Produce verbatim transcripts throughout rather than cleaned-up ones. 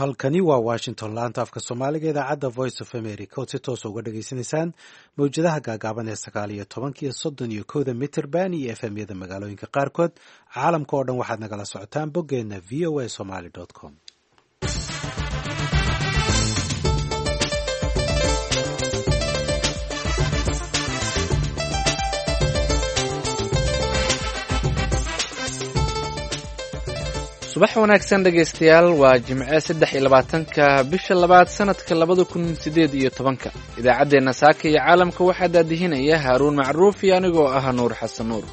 Halkani waa Washington, laanta afka Soomaaliga, idaacadda Voice of America ood si toosa uga dhagaysanaysaan mawjadaha gaagaaban ee sagaal iyo tobanka iyo soddon iyo kowda mitirban iyo F M yada magaalooyinka qaarkood. Caalamka oo dhan waxaad nagala socotaan boggeena V O A Somali com. Subax wanaagsan, dhegaystayaal. Waa Jimce, saddex iyo labaatanka bisha labaad, sanadka labada kun sideed iyo tobanka. Idaacaddeenna saaka iyo caalamka waxaa daadihinaya Haaruun Macruuf iyo anigoo ah Nuur Xasan Nuur.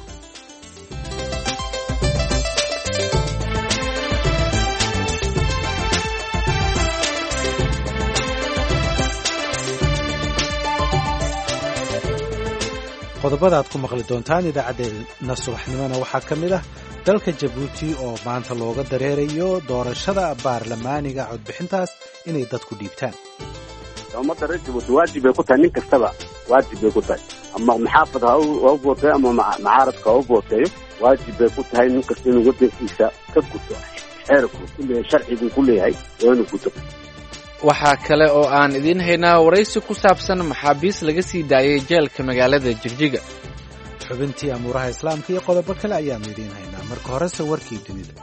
Qodobada aad ku maqli doontaan idaacaddeenna subaxnimona waxaa ka mid ah dalka Jabuuti oo maanta looga dareerayo doorashada baarlamaaniga, codbixintaas inay dadku dhiibtaan. Ummadda reer Jabuuti waajib bay ku tahay, nin kastaba waajib bay ku tahay, ama maxaafad ha u booteeyo ama macaaradka ha u booteeyo, waajib bay ku tahay nin kasta inuu waddankiisa ka guto xeerku ku leeyahay, sharciguu ku leeyahay waa inuu guto. Waxaa kale oo aan idiin haynaa waraysi ku saabsan maxaabiis laga sii daayay jeelka magaalada Jigjiga. Xubintii amuuraha Islaamka iyo qodobo kale ayaannu idiin haynaa. Marka horese warkii dunida.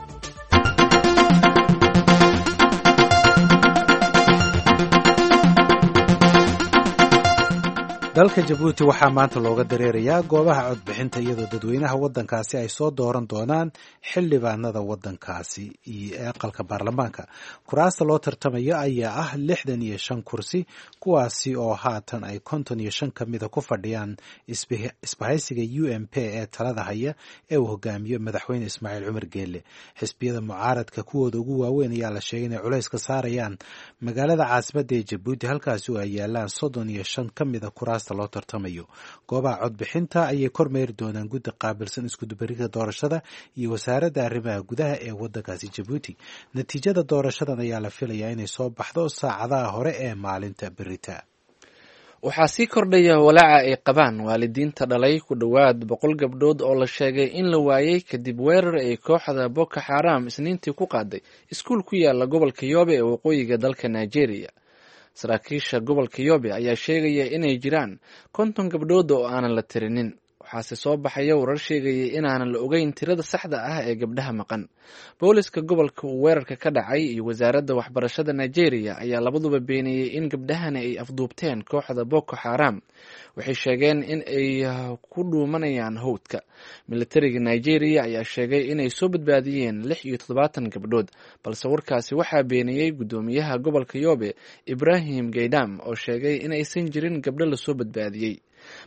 Dalka Jabuuti waxaa maanta looga dareerayaa goobaha codbixinta, iyadoo dadweynaha waddankaasi ay soo dooran doonaan xildhibaanada waddankaasi iyo aqalka baarlamaanka. Kuraasta loo tartamayo ayaa ah lixdan iyo shan kursi, kuwaasi oo haatan ay konton iyo shan ka mida ku fadhiyaan isbahaysiga U M P ee talada haya ee uu hogaamiyo Madaxweyne Ismaaciil Cumar Geele. Xisbiyada mucaaradka kuwooda ugu waaweyn ayaa la sheegay inay culays ka saarayaan magaalada caasimadda ee Jabuuti, halkaasi oo ay yaalaan soddon iyo shan ka mida kuraasta loo tartamayo. Goobaha codbixinta ayay kormeeri doonaan guddi qaabilsan iskudubarida doorashada iyo wasaaradda arrimaha gudaha ee waddankaasi Jabuuti. Natiijada doorashadan ayaa la filayaa inay soo baxdo saacadaha hore ee maalinta berita. Waxaa sii kordhaya walaaca ay qabaan waalidiinta dhalay ku dhowaad boqol gabdhood oo la sheegay in la waayey kadib weerar ay kooxda Boko Xaram Isniintii ku qaaday iskuul ku yaala gobolka Yobe ee waqooyiga dalka Nigeria. Saraakiisha gobolka Yobe ayaa sheegaya inay jiraan konton gabdhood oo aanan la tirinin, waxaase soo baxaya warar sheegaya inaanan la ogeyn tirada saxda ah ee gabdhaha maqan. Booliska gobolka uu weerarka ka dhacay iyo wasaaradda waxbarashada Nigeria ayaa labaduba beeniyey in gabdhahani ay afduubteen kooxda Boko Xaram. Waxay sheegeen in ay ku dhuumanayaan howdka. Militariga Nigeria ayaa sheegay inay soo badbaadiyeen lix iyo toddobaatan gabdhood, balse warkaasi waxaa beeniyey guddoomiyaha gobolka Yobe, Ibrahim Gaydam, oo sheegay in aysan jirin gabdho lasoo badbaadiyey.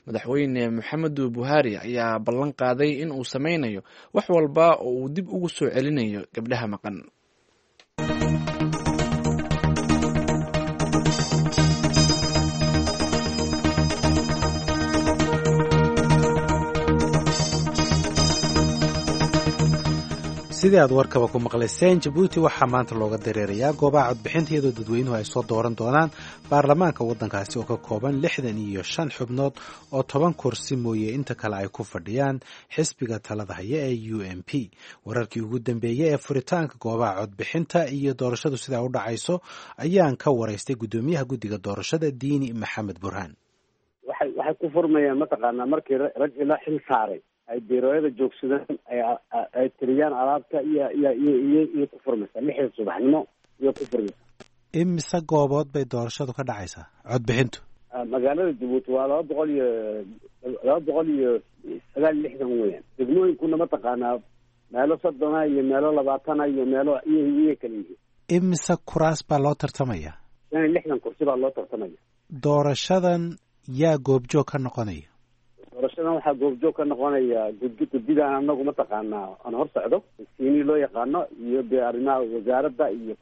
Madaxweyne Maxamedu Buhari ayaa ballan qaaday in uu sameynayo wax walba oo uu dib ugu soo celinayo gabdhaha maqan. Sidii aad warkaba ku maqlayseen, Jabuuti waxaa maanta looga dareerayaa goobaha codbixinta, iyadoo dadweynuhu ay soo dooran doonaan baarlamaanka waddankaasi oo ka kooban lixdan iyo shan xubnood, oo toban kursi mooye inta kale ay ku fadhiyaan xisbiga talada haya ee U M P. Wararkii ugu dambeeyey ee furitaanka goobaha codbixinta iyo doorashadu sidaa u dhacayso ayaan ka waraystay guddoomiyaha guddiga doorashada, Diini Maxamed Burhaan. waxay waxay ku furmayaan mataqaanaa markii rag ila xil saaray ay biirooyada joogsadaan, ay tiriyaan alaabta iyo iyo iyo iyo iyo ku furmaysaa lixda subaxnimo iyo ku furmaysaa. Imise goobood bay doorashadu ka dhacaysaa, codbixintu? Magaalada Jabuuti waa laba boqol iyo laba boqol iyo sagaal iyo lixdan weeyaan. Degmooyinkuna mataqaanaa meelo soddona iyo meelo labaatana iyo meelo iyo iyo kala yihiin. Imise kuraas baa loo tartamaya? Shan iyo lixdan kursi baa loo tartamaya. Doorashadan yaa goobjoog ka noqonaya? Doorashadan waxaa goobjoog ka noqonaya guddi, guddidaan anagu mataqaanaa aan hor socdo, siini loo yaqaano, iyo dee arrimaha wasaaradda iyo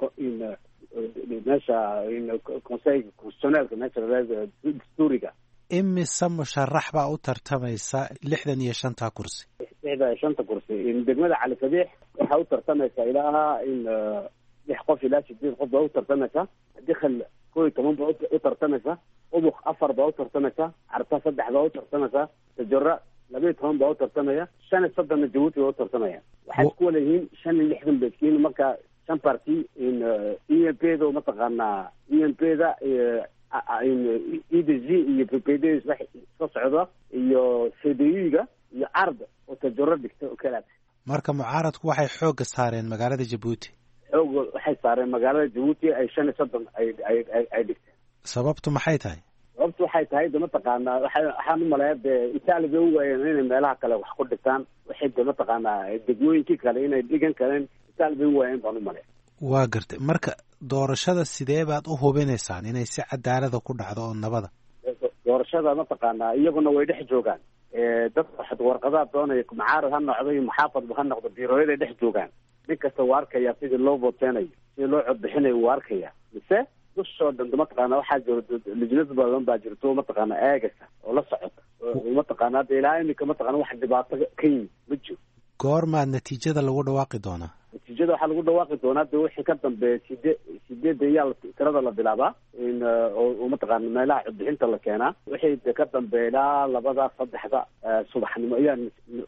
meesha conseil constitutionnelka, meesha dastuuriga. Imise musharax baa u tartamaysa lixdan iyo shanta kursi? Lixdan iyo shanta kursi, degmada Cali Sabiix waxaa u tartamaysa ilaa in lix qof ilaa sideed qof baa u tartamaysa, Dikhil kow iyo toban baa u tartamaysa, Ubuk afar baa u tartamaysa, Carta saddex baa u tartamaysa, Tajora laba iyo toban baa u tartamaya, shan iyo soddonna Jabuuti baa u tartamaya. Waxay isku wala yihiin shan iyo lixdan bay iskiin. Marka Shan parti in E M P da mataqaanaa E M P da E D G iyo P P D isla socda iyo C D U-ga iyo arda oo tajaro dhigta oo kalaad. Marka mucaaradku waxay xoogga saareen magaalada Jabuuti. Xoogga waxay saareen magaalada Jabuuti ay shan iyo soddon ay ay ay dhigteen. Sababtu maxay tahay? Sababtu waxay tahay de mataqaanaa waxa waxaan umaleeya dee Itaali bay u waayeen inay meelaha kale wax ku dhigtaan, waxay de mataqaanaa degmooyinkii kale inay dhigan kareen Itaali bay u waayeen baan umaleeya. Waa gartay. Marka doorashada sidee baad u hubinaysaan inay si cadaalada ku dhacdo oo nabada? Doorashada mataqaanaa iyaguna way dhex joogaan, dadka warqadaha doonaya mucaarad ha noqdo iyo muxaafadba ha noqdo, biirooyaday dhex joogaan. Nin kasta waa arkaya sidii loo vooteynayo, sidii loo codbixinayo wuu arkaya. Mise dushoo dhan mataqaana waxaa jiro lijnad badan baa jirto mataqaana eegasa oo la socota mataqaana hadda ilaa imika mataqaana wax dhibaato ka yimid ma jiro. Goormaa natiijada lagu dhawaaqi doonaa? Natiijada waxaa lagu dhawaaqi doonaa de wixii ka dambeeya side sideedda iyaa tirada la bilaabaa in oo mataqaana meelaha codbixinta la keenaa. Wixii de ka dambeeya ilaa labada saddexda subaxnimo ayaa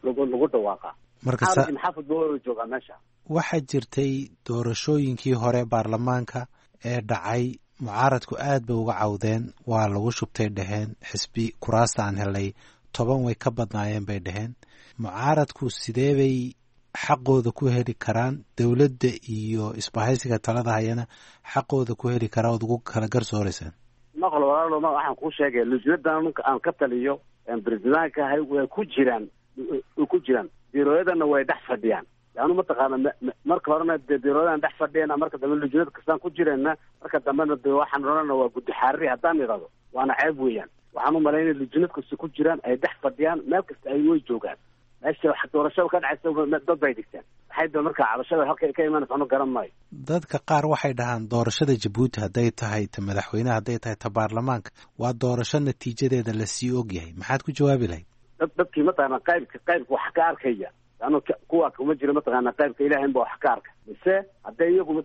lagu lagu dhawaaqaa. Marka maxaafad ba waa joogaa meesha. Waxaa jirtay doorashooyinkii hore baarlamaanka ee dhacay, mucaaradku aad bay uga cawdeen, waa lagu shubtay dheheen, xisbi kuraasta aan helay toban way ka badnaayeen bay dheheen. Mucaaradku sidee bay xaqooda ku heli karaan? Dowladda iyo isbahaysiga talada hayana xaqooda ku heli karaa ood ugu kala garsooreysaan? Maqal walaalo, ma waxaan kuu sheegaya lujnadan aan ka taliyo presidentka ahay way ku jiraan, way ku jiraan biirooyadana way dhex fadhiyaan. Yaanu mataqaana marka horena dee biirooyadan dhex fadhiyana, marka dambe lujnad kastaan ku jireenna, marka dambena de waxaan odhanana waa guddi xaariri haddaan idhahdo waana ceeb weeyaan. Waxaan u malay inay lujnad kasta ku jiraan, ay dhex fadhiyaan, meel kasta ay way joogaan. Meesha wax doorashada ka dhacaysa dad bay dhigteen. Waxay da marka cabashada halka ka imanaysa anu garan maayo. Dadka qaar waxay dhahaan doorashada Jabuuti hadday tahay ta madaxweyneha, hadday tahay ta baarlamaanka, waa doorasho natiijadeeda lasii ogyahay. Maxaad ku jawaabi lahayd? Dad dadkii mataqaana qaybka qaybka wax ka arkaya anu kuwa kuma jiro mataqaana qaybka ilaahay ba wax ka arka. Mise hadday iyagu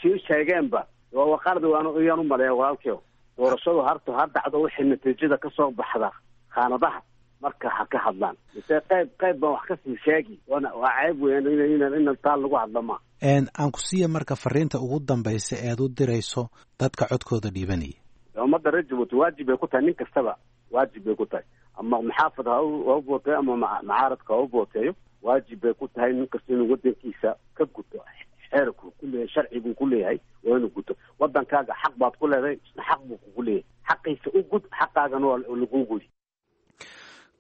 sii sheegeenba waa qalad iyaan u maleeya walaalkeyo. Doorashadu harta ha dhacdo wixii natiijada kasoo baxda khaanadaha marka ha ka hadlaan. Mise qayb qayb baan wax kasii sheegi, waana waa ceeb weeyaan in in in taa lagu hadla ma. Aan ku siiya marka fariinta ugu dambaysa eed u dirayso dadka codkooda dhiibanaya. Ummadda reer Jabuuti waajib bay ku tahay, nin kastaba waajib bay ku tahay, ama maxaafad ha u booteeyo ama macaaradka ha u booteeyo, waajib bay ku tahay nin kasta inuu wadankiisa ka guto xeerku ku leeyahay, sharciguu ku leeyahay waa inuu guto. Wadankaaga xaq baad ku leedahay, isna xaq buu kugu leeyahay, xaqiisa u gud, xaqaagana waa laguu gudi.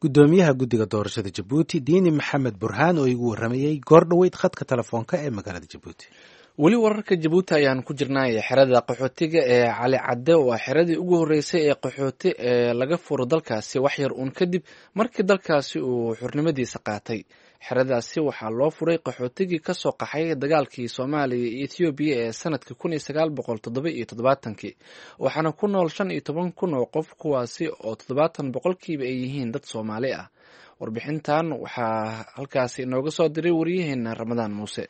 Guddoomiyaha guddiga doorashada Jabuuti Diini Maxamed Burhaan oo igu warramayey goor dhoweyd khadka telefoonka ee magaalada Jabuuti. Weli wararka Jabuuti ayaan ku jirnay. Xerada qaxootiga ee Cali Cadde waa xeradii ugu horreysay ee qaxooti ee laga furo dalkaasi wax yar uun kadib markii dalkaasi uu xornimadiisa qaatay. Xeradaasi waxaa loo furay qaxootigii ka soo qaxay dagaalkii Soomaaliya iyo Ethoobiya ee sanadkii kun iyo sagaal boqol toddoba iyo toddobaatankii, waxaana ku nool shan iyo toban kun oo qof, kuwaasi oo toddobaatan boqolkiiba ay yihiin dad Soomaali ah. Warbixintan waxaa halkaasi inooga soo diray wariyaheena Ramadaan Muuse.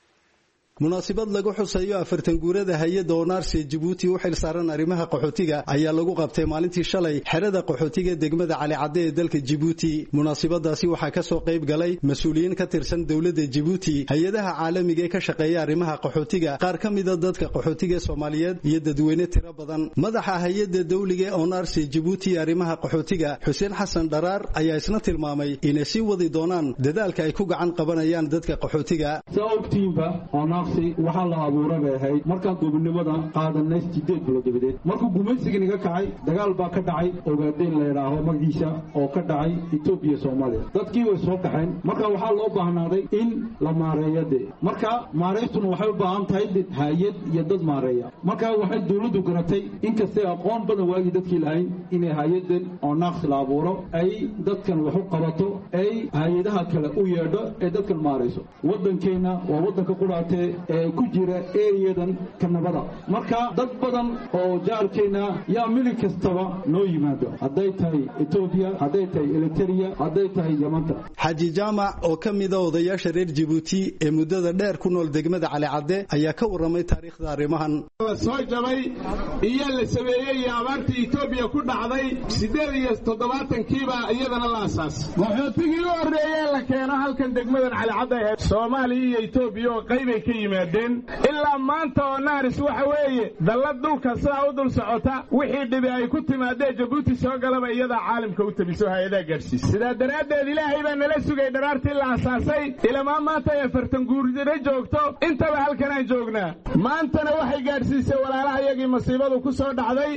Munaasabad lagu xusayo afartan guurada hay-adda Onaarsi Jabuuti u xil saaran arrimaha qaxootiga ayaa lagu qabtay maalintii shalay xerada qaxootiga degmada Cali Cadde ee dalka Jabuuti. Munaasabadaasi waxaa ka soo qayb galay mas-uuliyiin ka tirsan dowladda Jabuuti, hay-adaha caalamiga ee ka shaqeeya arrimaha qaxootiga, qaar ka mida dadka qaxootiga Soomaaliyeed iyo dadweyne tiro badan. Madaxa hay-adda dowliga ee Onaarsi Jabuuti arrimaha qaxootiga Xuseen Xasan Dharaar ayaa isna tilmaamay inay sii wadi doonaan dadaalka ay ku gacan qabanayaan dadka qaxootiga. Waxaa la abuura bay ahayd markaan gobonimada qaadanay sideed bilood dabadeed. Markuu gumaysiga naga kacay dagaal baa ka dhacay Ogaadeen la yidhaaho magaciisa oo ka dhacay Etoobiya Soomaaliya. Dadkii way soo kaxeen, marka waxaa loo baahnaaday in la maareeyo dee. Marka maareystuna waxay u baahan tahay hay-ad iyo dad maareeya. Marka waxay dowladdu garatay inkastay aqoon badan waagii dadkii lahayn inay hay-adan oo naaqsi la abuuro ay dadkan wax u qabato, ay hay-adaha kale u yeedho ee dadkan maarayso. Waddankeenna waa waddanka qudhaatee ee ku jira eriyadan kanabada. Marka dad badan oo jaarkeenna yaa milig kastaba noo yimaado, hadday tahay Etoobiya, hadday tahay Eritrea, hadday tahay Yamanta. Xaaji Jaamac oo ka mid ah odayaasha reer Jabuuti ee muddada dheer ku nool degmada Cali Cadde ayaa ka warramay taariikhda arrimahan. Soo jabay iyo la sameeyey iyo abaartii Etoobiya ku dhacday siddeed iyo toddobaatankiibaa iyadana la asaasay. Qaxootigii u horreeyee la keeno halkan degmadan Cali Cadde ee Soomaaliya iyo Etoobiya oo qaybay ka yimaadeen. Ilaa maanta oo naaris waxa weeye dallad dhulka sidaa u dul socota, wixii dhibi ay ku timaadee Jabuuti soo galaba iyadaa caalamka u tabiso hay-adaha gaadhsiisa. Sidaa daraaddeed ilaahay baa nala sugay dharaartii la asaasay ilamaa maanta ay afartan guurdiro joogto, intaba halkanaan joognaa. Maantana waxay gaadhsiisay walaalaha iyagii masiibadu ku soo dhacday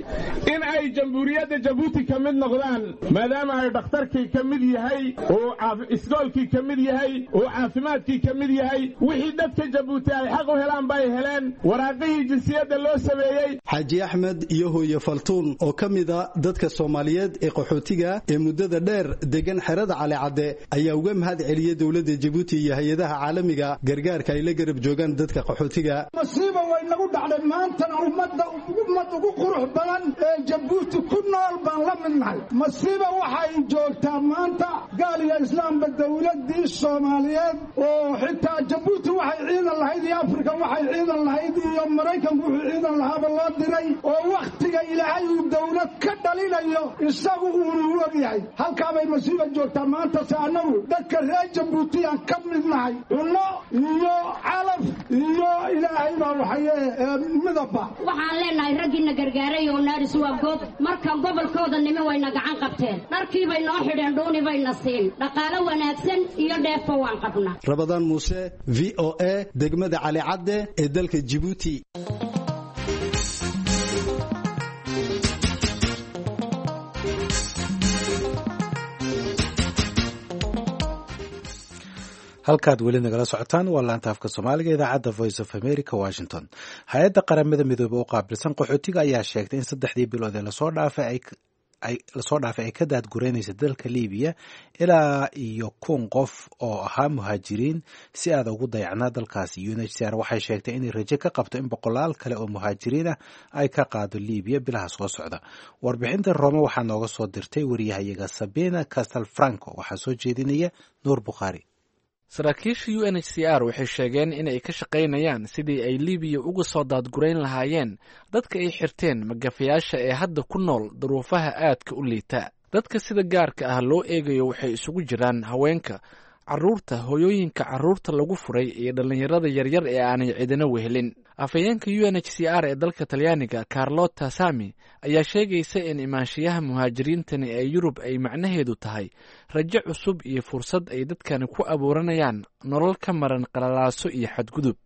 in ay jamhuuriyadda Jabuuti ka mid noqdaan, maadaama ay dhakhtarkii ka mid yahay, uu isgoolkii ka mid yahay, uu caafimaadkii ka mid yahay, wixii dadka Jabuuti ay xaq u helaan bay heleen, waraaqihii jinsiyadda loo sameeyey. Xaaji Axmed iyo hooye Faltuun oo ka mid a dadka Soomaaliyeed ee qaxootiga ee muddada dheer degan xerada Calicadde ayaa uga mahad celiyey dowladda Jabuuti iyo hay-adaha caalamiga gargaarka ay la garab joogaan dadka qaxootiga. Masiiba way nagu dhacday maantana, ummadda ummad ugu qurux badan ee Jabuuti ku nool baan la mid nahay. Masiiba waxay joogtaa maanta gaal iyo islaamba dowladdii Soomaaliyeed oo xitaa Jabuuti waxay ciidan lahayd iyo Afrika waxay ciidan lahayd iyo Maraykanku wuxuu ciidan lahaaba loo diray, oo wakhtiga ilaahay uu dowlad ka dhalinayo isagu uunu ogyahay. Halkaabay masiiba joogtaa maanta. Se annagu dadka reer Jabuutiyaan ka mid nahay, cunno iyo calaf iyo ilaahay baa waxaye midabba. Waxaan leenahay raggiina gargaaray oo naaris waa goob. Markaan gobolkooda nimi wayna gacan qabteen, dharkiibay noo xidheen, dhuuni bayna siin, dhaqaalo wanaagsan iyo dheefba waan qabnaa. Rabadaan Muuse, V O A, degmada Calicadde ee dalka Jabuuti. Halkaad weli nagala socotaan waa laanta afka Soomaaliga idaacadda Voice of America, Washington. Hay-adda Qaramada Midoobey oo qaabilsan qaxootiga ayaa sheegtay in saddexdii bilood ee lasoo dhaafay ay lasoo dhaafay ay ka daadgureynaysa dalka Libiya ilaa iyo kun qof oo ahaa muhaajiriin si aada ugu dayacnaa dalkaasi. U N H C R waxay sheegtay inay rajo ka qabto in boqolaal kale oo muhaajiriin ah ay ka qaado Libiya bilaha soo socda. Warbixinta Rome waxaa nooga soo dirtay wariyahayaga Sabina Castel Franco, waxaa soo jeedinaya Nuur Bukhaari. Saraakiisha U N H C R waxay sheegeen in ay ka shaqaynayaan sidii ay Libiya uga soo daadgurayn lahaayeen dadka ay xirteen magafayaasha ee hadda ku nool duruufaha aadka u liita. Dadka sida gaarka ah loo eegayo waxay isugu jiraan haweenka, carruurta, hooyooyinka carruurta lagu furay iyo dhallinyarada yaryar ee aanay cidina wehelin. Afhayeenka U N H C R ee dalka Talyaaniga, Carlota Sami, ayaa sheegaysa in imaanshiyaha muhaajiriintani ee Yurub ay macnaheedu tahay rajo cusub iyo fursad ay dadkani ku abuuranayaan nolol ka maran qalalaaso iyo xadgudub.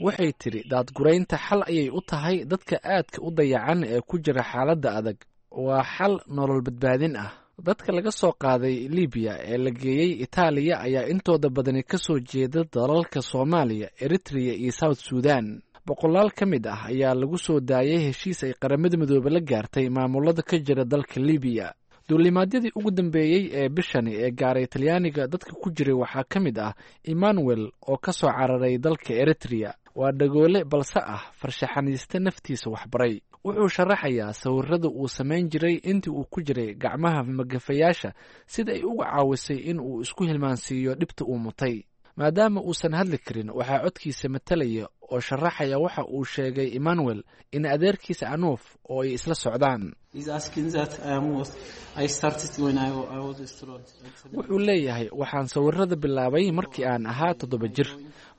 Waxay tidhi daadguraynta xal ayay u tahay dadka aadka u dayacan ee ku jira xaaladda adag. Waa xal nolol badbaadin ah. Dadka laga soo qaaday Libiya ee la geeyey Itaaliya ayaa intooda badani ka soo jeeda dalalka Soomaaliya, Eritrea iyo South Sudan. Boqolaal ka mid ah ayaa lagu soo daayay heshiis ay Qaramada Midoobe la gaartay maamulada ka jira dalka Libiya. Duulimaadyadii ugu dambeeyey ee bishani ee gaaray Talyaaniga dadka ku jiray waxaa ka mid ah Emmanuel oo ka soo cararay dalka Eritrea. Waa dhagoole balse ah farshaxaniiste naftiisa waxbaray. Wuxuu sharaxayaa sawirada uu samayn jiray intii uu ku jiray gacmaha magafayaasha, sida ay uga caawisay in uu isku hilmaansiiyo dhibta uu mutay. Maadaama uusan hadli karin, waxaa codkiisa matalaya oo sharaxaya waxa uu sheegay Emmanuel in adeerkiisa Anuuf oo ay isla socdaan. Wuxuu leeyahay, waxaan sawirada bilaabay markii aan ahaa toddoba jir.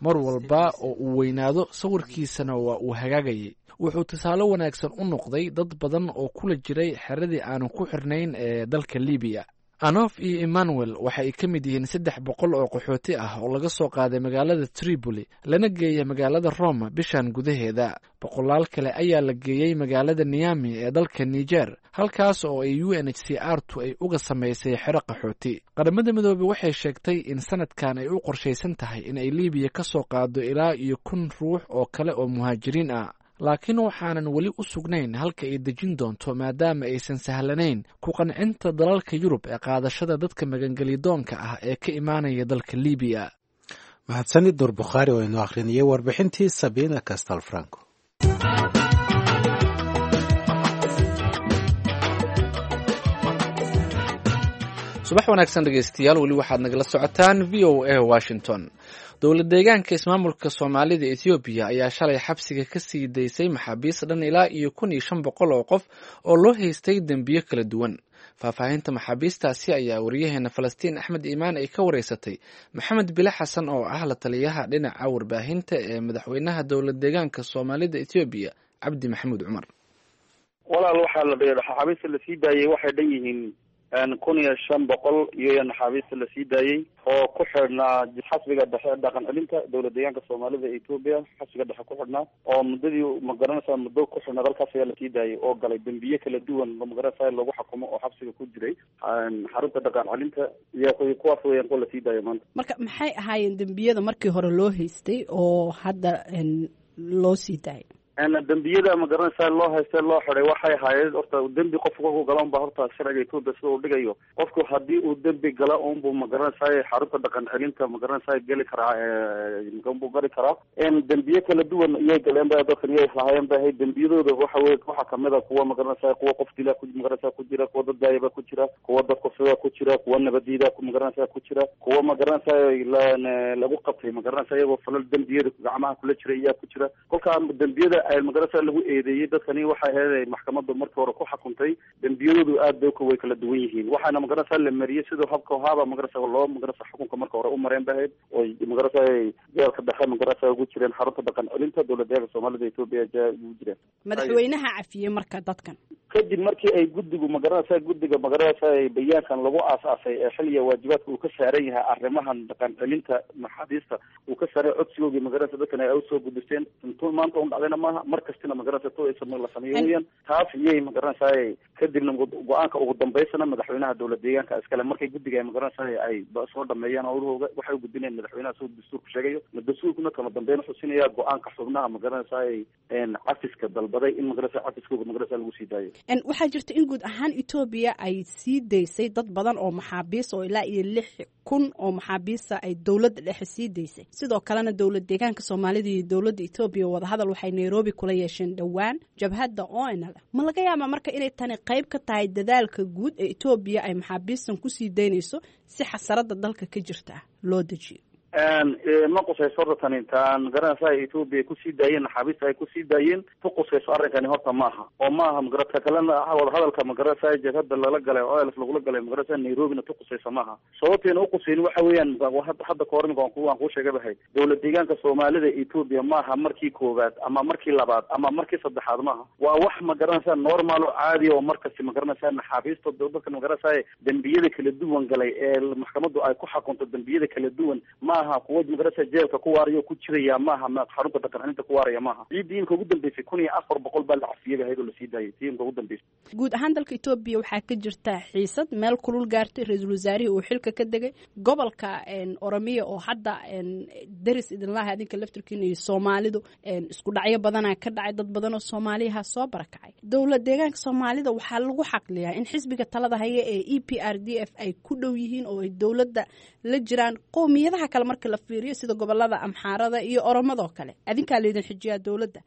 Mar walba oo uu weynaado sawirkiisana waa uu hagaagayay. Wuxuu tusaale wanaagsan u noqday dad badan oo kula jiray xeradii aanu ku xirnayn ee dalka Libiya. Anof iyo Emmanuel waxa ay ka mid yihiin saddex boqol oo qaxooti ah oo laga soo qaaday magaalada Tripoli lana geeyay magaalada Roma bishan gudaheeda. Boqolaal kale ayaa la geeyey magaalada Niami ee dalka Niger, halkaas oo ay U N H C R tu ay uga samaysay xero qaxooti. Qaramada Midoobey waxay sheegtay in sanadkan ay u qorshaysan tahay in ay Libiya ka soo qaado ilaa iyo kun ruux oo kale oo muhaajiriin ah, laakiin waxaanan weli u sugnayn halka ay dejin doonto, maadaama aysan sahlanayn ku qancinta dalalka Yurub ee qaadashada dadka magangelidoonka ah ee ka imaanaya dalka Libiya. Mahadsanid Nuur Bukhaari oo inoo akhrinayay warbixintii Sabina Castel Franco. Subax wanaagsan dhegeystayaal, weli waxaad nagala socotaan V O A Washington. Dowlad deegaanka ismaamulka Soomaalida Ethoobiya ayaa shalay xabsiga ka sii daysay maxaabiis dhan ilaa iyo kun iyo shan boqol oo qof oo loo haystay dembiyo kala duwan. Faahfaahinta maxaabiistaasi ayaa wariyaheena Falastiin Axmed Iimaan ay ka wareysatay Maxamed Bile Xasan oo ah la taliyaha dhinaca warbaahinta ee madaxweynaha dowlad deegaanka Soomaalida Etoobiya, Cabdi Maxamuud Cumar. Walaal, waxaa la maxaabiista lasii daayey waxay dhan yihiin kun iyo shan boqol iyo naxaabiista lasii daayey oo ku xidhnaa xasbiga dhexe dhaqan celinta dowlad deegaanka Soomaalida Etoobiya, xasbiga dhexe ku xidhnaa oo muddadii magaranaysaa muddo ku xidhnaa dalkaas ayaa lasii daayey oo galay dembiye kala duwan magaranaysaa lagu xakumo oo xabsiga ku jiray xarunta dhaqan celinta iyo kuwaas weeyaan kuwa lasii daayo maanta. Marka maxay ahaayeen dembiyada markii hore loo haystay oo hadda loo sii daayay? Dembiyada magaranaysaa loo haysta loo xiday waxay ahaayeen horta dembi qofku kolku gala unba horta sharciga Etoobiya sida uu dhigayo, qofku haddii uu dembi gala unbuu magaranaysaa xarunta dhaqan celinta magaranaysaa geli karaa, unbuu gali karaa. Dembiye kala duwan iyay galeen ba dadkan iyay lahaayeen ba ahayd dembiyadooda. Waxa wey waxaa kamid a kuwa magaranaysaa kuwa qof dila ku magaranaysaa ku jira, kuwa dad daayaba ku jira, kuwa dad kufsada ku jira, kuwa nabadiida magaranaysaa ku jira, kuwa magaranaysaa lagu qabtay magaranaysaa iyagoo falal dembiyada gacmaha kula jira iyaa ku jira. Kolkaa dembiyada magaranaysaa lagu eedeeyey dadkani waxay ahayd maxkamadda markii hore ku xakuntay dembiyadoodu aad bay way kala duwan yihiin, waxaana magaranaysaa la mariyey sidoo habka haaba magaranaysaa loo magaranaysaa xukunka marka hore u mareen ba ahayd oo magaranaysaa jeelka dhexe magaranaysaa ugu jireen xarunta dhaqan celinta dowlad deegaanka Soomaalida Etoobiya ugu jireen. Madaxweynaha cafiyey marka dadkan kadib markii ay guddigu magaranaysaa guddiga magaranaysaa bayaankan lagu aas-aasay ee xilliga waajibaadka uu ka saaran yahay arrimahan dhaqan celinta maxaabiista uu ka saaray codsigoogii magaranaysa dadkan ay usoo gudbisteen intuu maanta un dhacdayna maaha, mar kastina magaranaysa to la sameeyo weeyaan taas iyay magaranaysaa. Kadibna go-aanka ugu dambeysana madaxweynaha dowlad deegaanka iskale markay guddiga ay magaranaysaa ay soo dhameeyaan howlahooga waxay u gudbinayaan madaxweynaha siduu dastuurku sheegayo. Dastuurkuna kama dambeyn wuxuu siinayaa go-aanka xubnaha magaranaysaa cafiska dalbaday in magaranaysa cafiskooga magaranaysa lagu sii daayo. Waxaa jirta in guud ahaan Etoobiya ay sii daysay dad badan oo maxaabiis oo ilaa iyo lix kun oo maxaabiista ay dowladda dhexe sii daysay. Sidoo kalena dowlad deegaanka Soomaalida iyo dowladda Etoobiya wadahadal waxay Nairobi kula yeesheen dhowaan jabhadda O N L. Ma laga yaabaa marka inay tani qayb ka tahay dadaalka guud ee Etoobiya ay maxaabiistan kusii daynayso si xasarada dalka ka jirta loo dejiyo? Ma qusayso horta tani taan garanaysaa Etoobiya kusii daayeen naxaabiista ay kusii daayeen ku qusayso arrinkani horta maaha oo maaha magaranaysa kalena wadahadalka magaranaysaa jabhadda lala galay o L F lagula galay magaranaysaa Nairobina ku qusayso maaha. Sababteena uqusayni waxa weeyaan hadda kahor imika waan ku waan kuu sheegay bahay dowlad deegaanka Soomaalida Etoobiya maaha markii koowaad ama markii labaad ama markii saddexaad maaha, waa wax magaranaysaa normal oo caadi oo markasti magaranaysaa naxaabiista dadka magaranaysaa dembiyada kala duwan galay ee maxkamaddu ay ku xakunto dembiyada kala duwan maaha kuwa magaranaysaa jeelka ku waarayo ku jiraya maaha, xarunta dhaqan celinta ku waaraya maaha. Ciiddii imka ugu dambeysay kun iyo afar boqol baa la cafiyey ahayd oo lasii daayay tii imka ugu dambeysay. Guud ahaan dalka Etoobiya waxaa ka jirta xiisad meel kulul gaartay, ra-iisul wasaarihii uu xilka ka degay, gobolka Oromiya oo hadda deris idinlaha adinka laftirkiina iyo Soomaalidu isku dhacyo badanaa ka dhacay, dad badan oo Soomaaliyaha soo barakacay. Dowlad deegaanka Soomaalida waxaa lagu xaqliyaa in xisbiga talada haya ee E P R D F ay ku dhow yihiin oo ay dowladda la jiraan qowmiyadaha kale marka la fiiriyo sida gobolada Amxaarada iyo Oromadoo kale. Adinkaa laydin xijiyaa dowladda,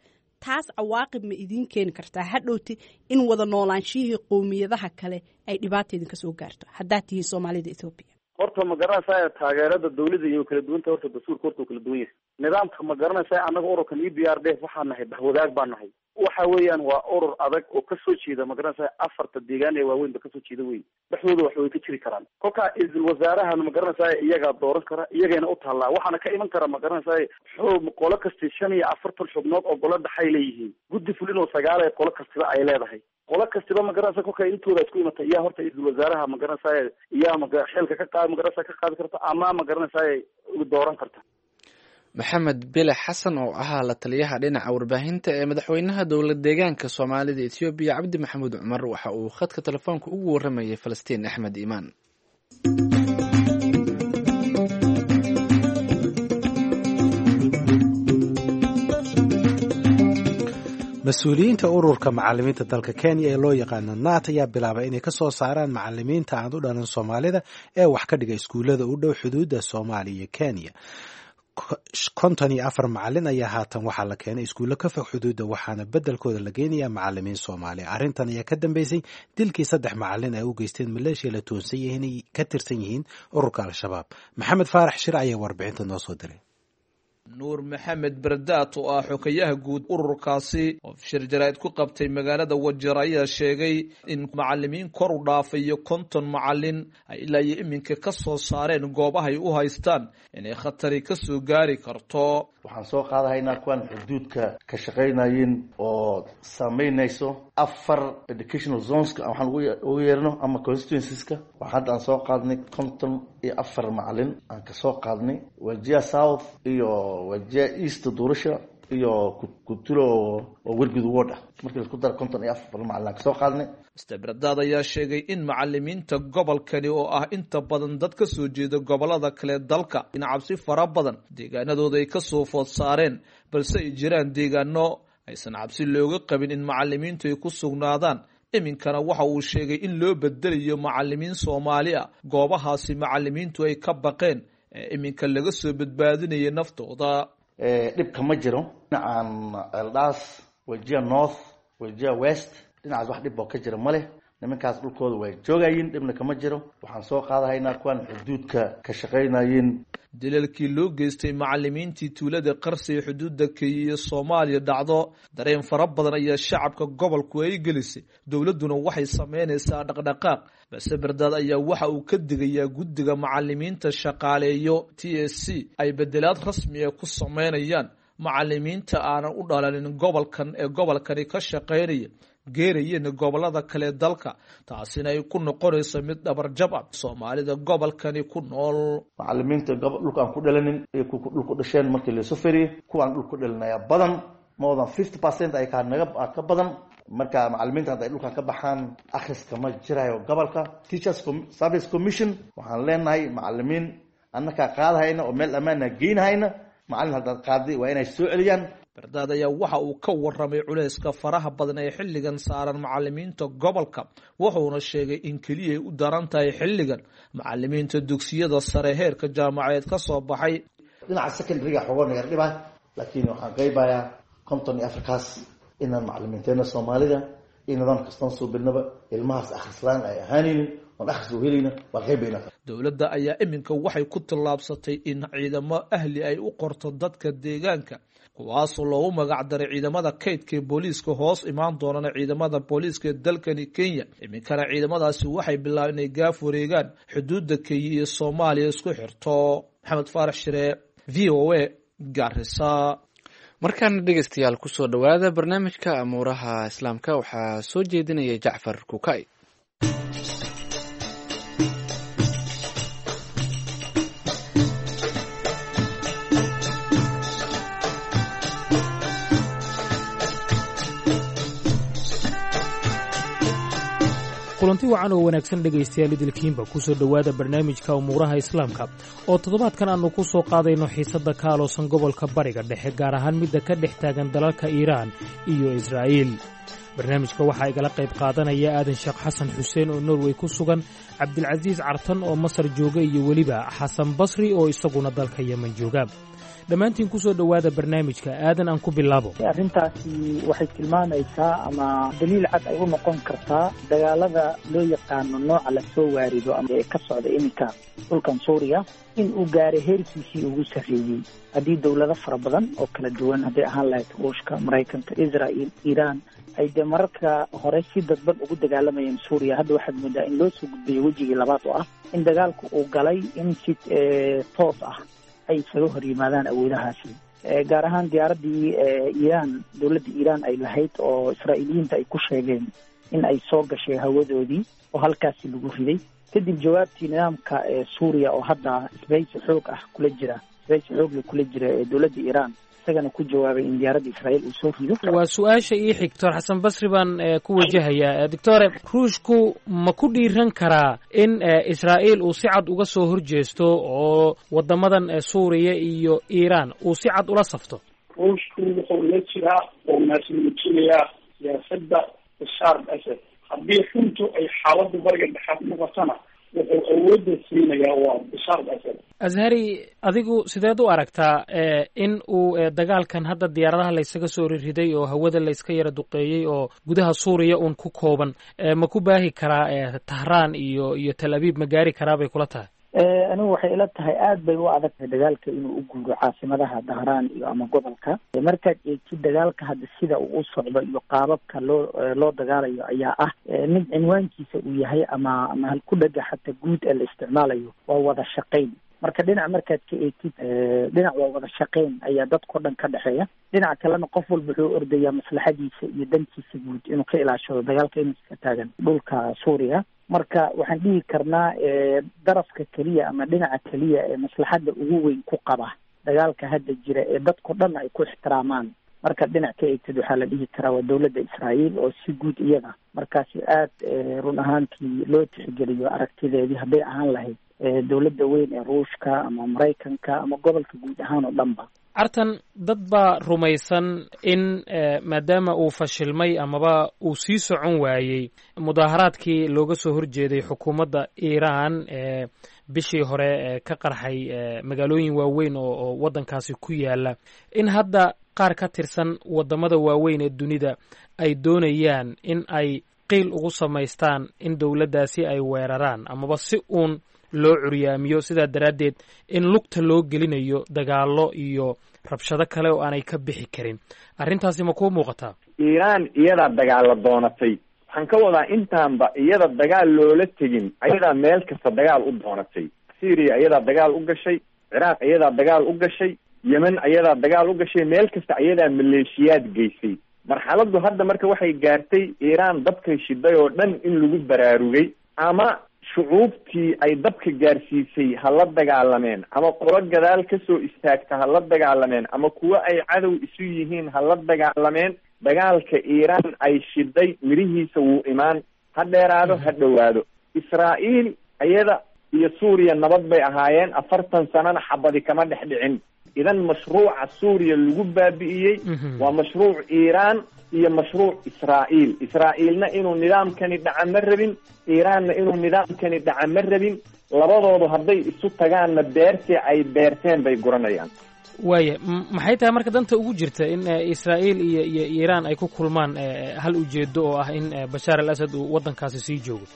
taas cawaaqib ma idiin keeni kartaa hadhowti in wada noolaanshihii qowmiyadaha kale ay dhibaata idinka soo gaarto haddaad tihiin Soomaalida Etoobiya? Horta ma garanaysaa taageerada dowladda iyo kala duwanta horta dastuurka horta uu kala duwan yahay nidaamka. Ma garanaysaa annaga ururkan E B R D F waxaa nahay bahwadaag baa nahay, waxa weeyaan waa urur adag oo kasoo jeeda magaranaysaa afarta deegaan ee waaweyn ba kasoo jeeda wey, dhexdooda wax way ka jiri karaan. Kolkaa isl wasaarahan magaranaysaa iyagaa dooran kara, iyagayna u taallaa, waxaana ka iman kara magaranaysaa xoog qolo kasti shan iyo afartan xubnood oo golo dhexay leeyihiin, guddi fulin oo sagaal ee qolo kastiba ay leedahay, qolo kastiba magaranaysa kolka intooda isku imatay iyaa horta isl wasaaraha magaranaysaa iyaa maga xilka ka qaad magaranaysaa ka qaadi karta ama magaranaysaa dooran karta. Maxamed Bile Xasan oo ahaa la taliyaha dhinaca warbaahinta ee madaxweynaha dowlad deegaanka Soomaalida Etoobiya Cabdi Maxamuud Cumar waxa uu khadka telefoonka ugu waramayay Falastiin Axmed Iimaan. Mas-uuliyiinta ururka macalimiinta dalka Kenya ee loo yaqaano NAT ayaa bilaabay inay ka soo saaraan macalimiinta aan u dhalan Soomaalida ee wax ka dhiga iskuullada u dhow xuduudda Soomaaliya iyo Kenya. Konton iyo afar macalin ayaa haatan waxaa la keenay iskuullo ka fog xuduudda, waxaana beddelkooda la geynayaa macalimiin Soomaaliya. Arrintan ayaa ka dambeysay dilkii saddex macalin ay u geysteen maleeshiya la toonsan yihiin inay ka tirsan yihiin ururka Al-Shabaab. Maxamed Faarax Shir ayaa warbixinta noo soo diray. Nuur Maxamed Bardaat oo ah xokayaha guud ururkaasi oo shir jaraa'id ku qabtay magaalada Wajeer ayaa sheegay in macalimiin kor u dhaafayo konton macalin ay ilaa iyo iminka ka soo saareen goobahay u haystaan inay khatari ka soo gaari karto. Waxaan soo qaadahaynaa kuwaan xuduudka ka shaqaynayeen oo saameynayso afar educational zoneska waxaan ugu yeerno ama constituencies-ka. Waxaa hadda aan soo qaadnay konton iyo afar macalin aan kasoo qaadnay Wajir South iyo Wajir East Doorasha iyo Kutulo oo Wergud ward ah. Markii la isku daro konton iyo afar macalin aan kasoo qaadnay. Mister Bardaad ayaa sheegay in macalimiinta gobolkani oo ah inta badan dad ka soo jeeda gobolada kale dalka in cabsi fara badan deegaanadooda ay kasoo food saareen, balse ay jiraan deegaano aysan cabsi looga qabin in macalimiintu ay ku sugnaadaan. Iminkana waxa uu sheegay in loo bedelayo macalimiin Soomaali ah goobahaasi macalimiintu ay ka baqeen ee iminka laga soo badbaadinaya naftooda. Dhibka ma jiro dhinacaan Eldas, Wajir North, Wajir West, dhinacaas wax dhib oo ka jira ma leh. Nimankaas dhulkooda way joogayiin, dhibna kama jiro. Waxaan soo qaadahaynaa kuwaan xuduudka ka shaqaynayeen. Dilalkii loo geystay macalimiintii tuulada Qarsi ee xuduudda Kenya iyo Soomaaliya dhacdo dareen fara badan ayaa shacabka gobolku ay gelisay. Dowladduna waxay sameynaysaa dhaqdhaqaaq, balse Bardaad ayaa waxa uu ka digayaa guddiga macalimiinta shaqaaleeyo T S C ay bedelaad rasmi ah ku sameynayaan macalimiinta aanan u dhalanin gobolkan ee gobolkani ka shaqaynaya geerayeen gobolada kale dalka, taasina ay ku noqonayso mid dhabarjab ah Soomaalida gobolkani ku nool. Macalimiinta dhulka aan ku dhalanin iyo kuwa dhulku dhasheen markii la soo feriyay, kuwa aan dhulku dhalinaya badan more than fifty percent ay ka naga ka badan. Marka macalimiinta hadday dhulkan ka baxaan akhriska ma jirayo gobolka. Teachers Service Commission waxaan leenahay macalimiin annaka qaadahayna oo meel ammaana geynahayna, macalin haddaad qaaday waa inay soo celiyaan. Bardaad ayaa waxa uu ka warramay culayska faraha badan ee xilligan saaran macalimiinta gobolka, wuxuuna sheegay in keliya ay u daran tahay xilligan macalimiinta dugsiyada sare heerka jaamacadeed ka soo baxay. Dhinaca secondary-ga xoogaa naga dhibaa, laakiin waxaan qaybayaa konton iyo afarkaas inaan macalimiinteena Soomaalida iyo nidaam kastaan soo bilnaba ilmahaas akhrislaan ay ahaanaynin oon akhris u helayna waa qaybayna. Dowladda ayaa iminka waxay ku tallaabsatay in ciidamo ahli ay u qorto dadka deegaanka, kuwaasoo loogu magac daray ciidamada kaydka ee booliiska hoos imaan doonana ciidamada booliiska ee dalkani Kenya. Iminkana ciidamadaasi waxay bilaabeen inay gaaf wareegaan xuduudda Kenya iyo Soomaaliya isku xirto. Maxamed Faarax Shire, V O A, Garissa. Markaana dhegeystayaal kusoo dhowaada barnaamijka amuuraha islaamka, waxaa soo jeedinaya Jacfar Kukay. Kulanti wacan oo wanaagsan dhegaystayaal idilkiinba ku soo dhowaada barnaamijka umuuraha islaamka oo toddobaadkan aannu ku soo qaadayno xiisadda ka aloosan gobolka Bariga Dhexe, gaar ahaan midda ka dhex taagan dalalka Iiraan iyo Israa'iil. Barnaamijka waxaa igala qayb qaadanaya Aadan Sheekh Xasan Xuseen oo Norway ku sugan, Cabdilcasiis Cartan oo Masar jooga iyo weliba Xasan Basri oo isaguna dalka Yemen jooga. Dhammaantiin ku soo dhowaada barnaamijka. Aadan aan ku bilaabo. Arrintaasi waxay tilmaamaysaa ama daliil cad ay u noqon kartaa dagaalada loo yaqaano nooca lasoo waarido ama ee ka socda iminka dhulkan Suuriya in uu gaaray heerkiisii ugu sarreeyey. Haddii dowlado fara badan oo kala duwan, hadday ahaan lahayd Ruushka, Maraykanka, Israa'iil, Iiraan, ay dee mararka hore si dadban ugu dagaalamayeen Suuriya, hadda waxaad moodaa in loo soo gudbayo wejigii labaad oo ah in dagaalku uu galay in si toos ah ay isaga hor yimaadaan awoodahaasi, gaar ahaan diyaaraddii Iiraan, dowladda Iiraan ay lahayd oo Israa'iiliyiinta ay ku sheegeen in ay soo gashay hawadoodii oo halkaasi lagu riday. Kadib jawaabtii nidaamka Suuriya oo hadda isbahaysi xoog ah kula jira, isbahaysi xoogle kula jira ee dowladda Iiraan, isagana ku jawaabay in diyaaradda Israa'iil uu soo rido. Waa su-aasha ii xig, Doctor Xasan Basri baan ku wajahayaa. Doctore, Ruushku ma ku dhiiran karaa in Israa'iil uu si cad uga soo horjeesto oo waddamadan Suuriya iyo Iiraan uu si cad ula safto? Ruushku wuxuu la jiraa oo naasnuujinayaa siyaasadda Bashaar al-Asad. Haddii runtu ay xaaladdu Bariga Dhexe noqotona wuxuu awoodda siinayaa waa Bashaar al-Asad. Azhari, adigu sideed u aragtaa in uu dagaalkan hadda diyaaradaha laysaga soo ririday oo hawada layska yara duqeeyey oo gudaha Suuriya uun ku kooban ma ku baahi karaa Tahraan iyo iyo Tel Abiib, ma gaari karaa bay kula tahay? Anigu waxay ila tahay aad bay u adag tahay dagaalka inuu u guuro caasimadaha Dahraan iyo ama gobolka. Markaad eegtid dagaalka hadda sida uu u socdo iyo qaababka loo loo dagaalayo ayaa ah mid cinwaankiisa uu yahay ama ama halku-dhaga xataa guud ee la isticmaalayo waa wada shaqayn. Marka dhinac markaad ka eegtid, dhinac waa wada shaqayn ayaa dadkao dhan ka dhexeeya, dhinaca kalena qof walba wuxuu ordayaa maslaxadiisa iyo dantiisa guud inuu ka ilaashado dagaalka inuu iska taagan dhulka Suuriya. Marka waxaan dhihi karnaa darafka keliya ama dhinaca keliya ee maslaxadda ugu weyn ku qaba dagaalka hadda jira ee dadkao dhan ay ku ixtiraamaan, markaad dhinac ka eegtid, waxaa la dhihi karaa waa dowladda Israa'iil oo si guud iyada markaasi aad run ahaantii loo tixgeliyo aragtideedii, hadday ahaan lahayd dowladda weyn ee Ruushka ama Maraykanka ama gobolka guud ahaan oo dhanba. Artan, dad baa rumaysan in maadaama uu fashilmay amaba uu sii socon waayey mudaaharaadkii looga soo horjeeday xukuumadda Iiraan ee bishii hore ka qarxay magaalooyin waaweyn oo oo waddankaasi ku yaala, in hadda qaar ka tirsan waddamada waaweyn ee dunida ay doonayaan in ay qiil ugu samaystaan in dowladdaasi ay weeraraan amaba si uun loo curyaamiyo, sidaa daraaddeed in lugta loo gelinayo dagaallo iyo rabshado kale oo aanay ka bixi karin. Arrintaasi ma kuu muuqataa? Iiraan iyadaa dagaalla doonatay. Waxaan ka wadaa intaanba iyada dagaal loola tegin, ayadaa meel kasta dagaal u doonatay. Syria iyadaa dagaal u gashay, Ciraaq iyadaa dagaal u gashay, Yemen ayadaa dagaal u gashay, meel kasta ayadaa maleeshiyaad geysay. Marxaladdu hadda marka waxay gaartay Iiraan dabkay shiday oo dhan in lagu baraarugay, ama shucuubtii ay dabka gaarsiisay ha la dagaalameen, ama qolo gadaal kasoo istaagta ha la dagaalameen, ama kuwo ay cadow isu yihiin ha la dagaalameen. Dagaalka Iiraan ay shiday mirihiisa wuu imaan, ha dheeraado ha dhowaado. Israa'iil iyada iyo Suuriya nabad bay ahaayeen, afartan sanana xabadi kama dhex dhicin. Idan mashruuca Suuriya lagu baabi'iyey waa mashruuc Iiraan iyo mashruuc Israa'iil. Israa'iilna inuu nidaamkani dhaca ma rabin, Iiraanna inuu nidaamkani dhaca ma rabin. Labadoodu hadday isu tagaanna beertii ay beerteen bay guranayaan. Waaya, maxay tahay marka danta ugu jirta in Israa'iil iyo iyo Iiraan ay ku kulmaan hal ujeedo oo ah in Bashaar al Asad uu waddankaasi sii joogo?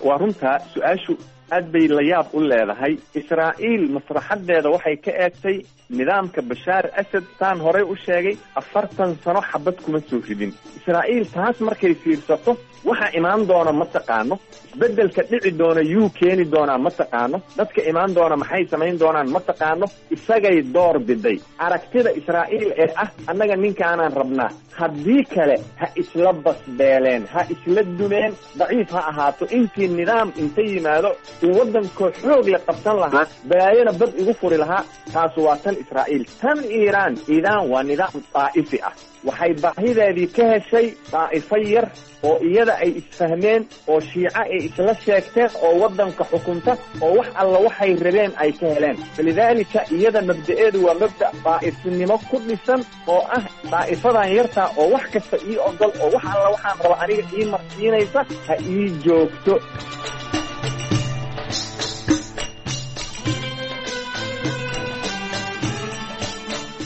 Waa runtaa, su-aashu aad bay la yaab u leedahay. Israa'iil masraxadeeda waxay ka eegtay nidaamka Bashaar Asad, saan horey u sheegay, afartan sano xabad kuma soo ridin. Israa'iil taas markay fiirsato, waxa imaan doona ma taqaano, isbeddelka dhici doona yuu keeni doonaa ma taqaano, dadka imaan doona maxay samayn doonaan ma taqaano. Isagay door biday aragtida Israa'iil ee ah annaga ninkaanaan rabnaa, haddii kale ha isla basbeeleen, ha isla dumeen, daciif ha ahaato. Intii nidaam inta yimaado uu waddankoo xoog la qabsan lahaa, balaayona bad igu furi lahaa. Taasu waa tan Israa'iil. Tan Iiraan, Iiraan waa nidaam daa'ifi ah. Waxay baahideedii ka heshay daa'ifo yar oo iyada ay isfahmeen oo shiico ay isla sheegteen oo waddanka xukunta oo wax alla waxay rabeen ay ka heleen. Falidaalika iyada mabda'eedu waa mabda' daa'ifinimo ku dhisan oo ah daa'ifadan yartaa oo wax kasta ii ogol oo wax alla waxaan raba aniga ii marsiinaysa ha ii joogto.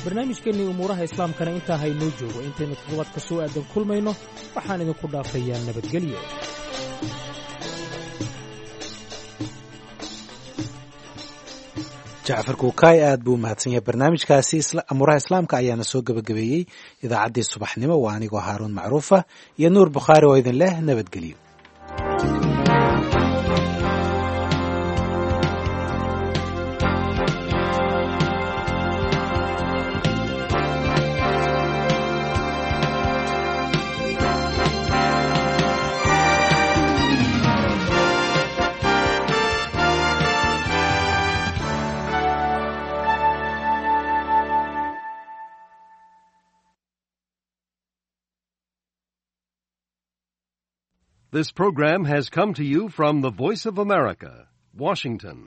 Barnaamijkeennii umuuraha islaamkana intaa haynoo joogo. Intaynu toddobaadka soo aadan kulmayno, waxaan idinku dhaafayaa nabadgelyo. Jacfar Kuukaay aad buu umahadsan yahay. Barnaamijkaasi amuuraha islaamka ayaana soo gebagabeeyey idaacaddii subaxnimo. Waa anigoo Haaruun Macruufa iyo Nuur Bukhaari oo idin leh nabadgelyo. This program has come to you from the Voice of America, Washington.